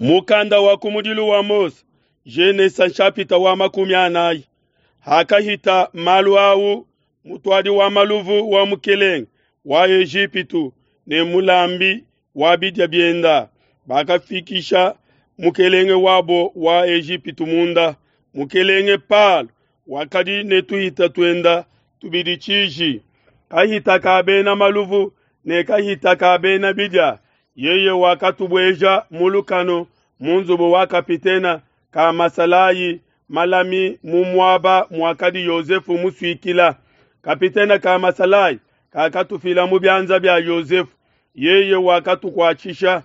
Mukanda wa kumudilu wa Mose, Genesa nshapita wa 40. Hakahita malu au, mutuadi wa maluvu wa mukelenge wa Ejipitu ne mulambi wa bidia bienda bakafikisha mukelenge wabo wa Ejipitu munda. Mukelenge Palo wakadi ne tuhita tuenda tubidi tshiji, kahita ka bena maluvu ne kahita ka bena bidia. Yeye wakatubueja mu lukanu mu nzubu wa kapitena ka masalayi malami mu muaba muakadi Yosefu musuikila. Kapitena ka masalayi kakatufila mu bianza bia Yosefu, yeye wakatukuatshisha.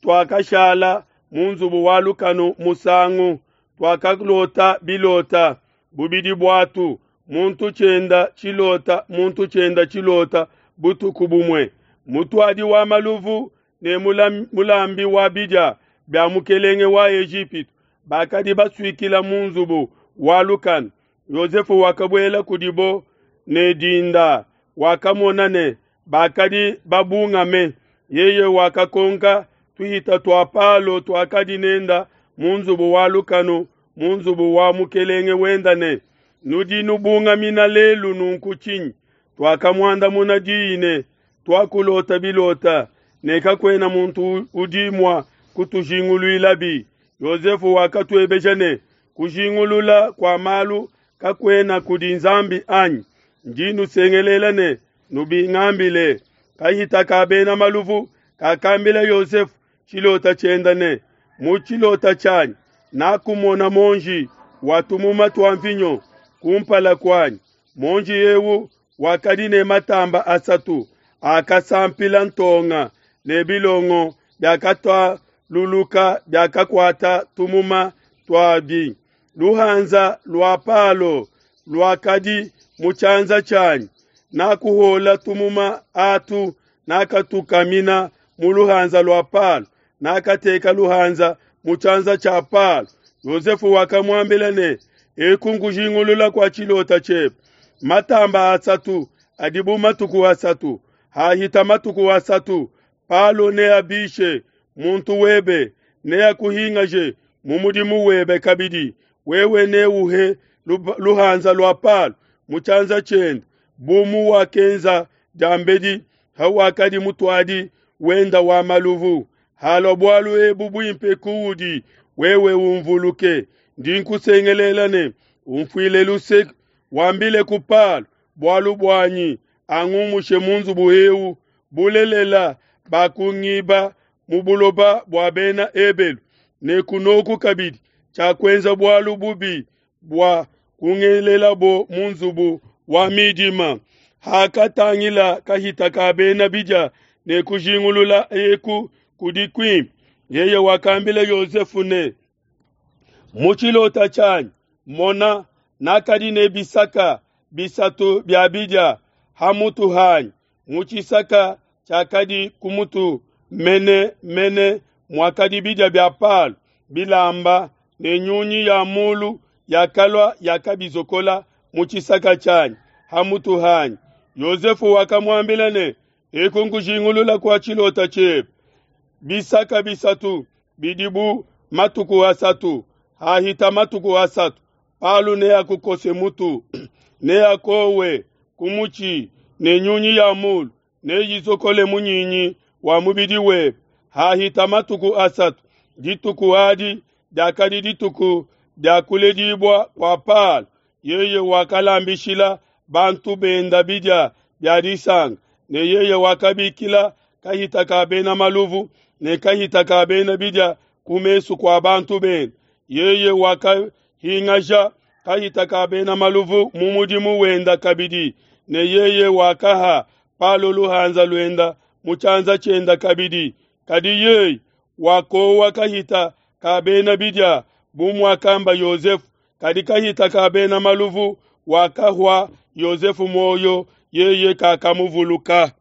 Tuakashala mu nzubu wa lukanu musangu, tuakalota bilota bubidi buatu, muntu tshienda tshilota, muntu tshienda tshilota butuku bumue. Mutuadi wa maluvu ne mulambi wa bidia bia mukelenge wa Ejipitu bakadi basuikila mu nzubu wa lukanu. Yosefu wakabuela kudibo ne dinda, wakamona ne bakadi babungame. Yeye wakakonka tuhita tua Palo tuakadi nenda mu nzubu wa lukanu mu nzubu wa mukelenge wenda ne, nudi nubungamina lelu nunku tshinyi? Tuakamuandamuna diyi ne, tuakulota bilota ne kakuena muntu udi mua kutujinguluilabi. Yosefu wakatuebeja ne, kujingulula kua malu kakuena kudi Nzambi anyi? Ndi nusengelela ne nubingambile. Kahita ka bena maluvu kakambila Yosefu tshilota tshienda ne, mu tshilota tshianyi nakumona monji wa tumuma tua mvinyo kumpala kuanyi. Monji eu wakadi ne matamba asatu akasampila ntonga ne bilongo biakatualuluka biakakuata tumuma tuabi. Luhanza lua Palo luakadi mu tshianza tshianyi, nakuhola tumuma atu, nakatukamina mu luhanza lua Palo, nakateka luhanza mu tshianza tshia Palo. Yosefu wakamuambila ne, eku nkujingulula kua tshilota tshiebe. Matamba asatu adi bu matuku asatu, hahita matuku asatu Palo neabishe muntu webe, neakuhingaje mu mudimu webe kabidi. Wewe neuhe luhanza lua Palo mu tshianza tshiende, bu muwakenza diambedi hawakadi mutuadi wenda wa maluvu. Halua bualu ebu buimpe kuudi, wewe umvuluke. Ndi nkusengelela ne umfuile luse, wambile ku Palo bualu buanyi, angumushe mu nzubu eu. Bulelela bakungiba mu buloba bua bena Ebelu, ne kunoku kabidi tshiakuenza bualu bubi bua kungelelabo mu nzubu wa midima. Hakatangila kahita ka bena bidia ne kujingulula eku kudi kuimpe, yeye wakambila Yosefu ne, mu tshilota tshianyi mona, nakadi ne bisaka bisatu bia bidia ha mutu hanyi. Mu tshisaka tshiakadi ku mutu mene mene muakadi bidia bia Palo bilamba, ne nyunyi ya mulu yakalua yakabizokola mu tshisaka tshianyi ha mutu hanyi. Yosefu wakamuambila ne, eku nkujingulula kua tshilota tshiebe. Bisaka bisatu bidi bu matuku asatu, hahita matuku asatu Palo neakukose mutu, neakowe ku mutshi, ne nyunyi ya mulu neyizokole munyinyi wa mubidi webe. Hahita matuku asatu, dituku adi diakadi dituku dia kuledibua kua Palo. Yeye wakalambishila bantu benda bidia bia disanka, ne yeye wakabikila kahita ka bena maluvu ne kahita ka bena bidia ku mesu kua bantu benda. Yeye wakahingaja kahita ka bena maluvu mu mudimu wenda kabidi, ne yeye wakaha Palo luhanza luenda mu tshianza tshienda kabidi. Kadi yeye wakowa kahita ka bena bidia bu muakamba Yosefu. Kadi kahita ka bena maluvu wakahua Yosefu muoyo, yeye kakamuvuluka.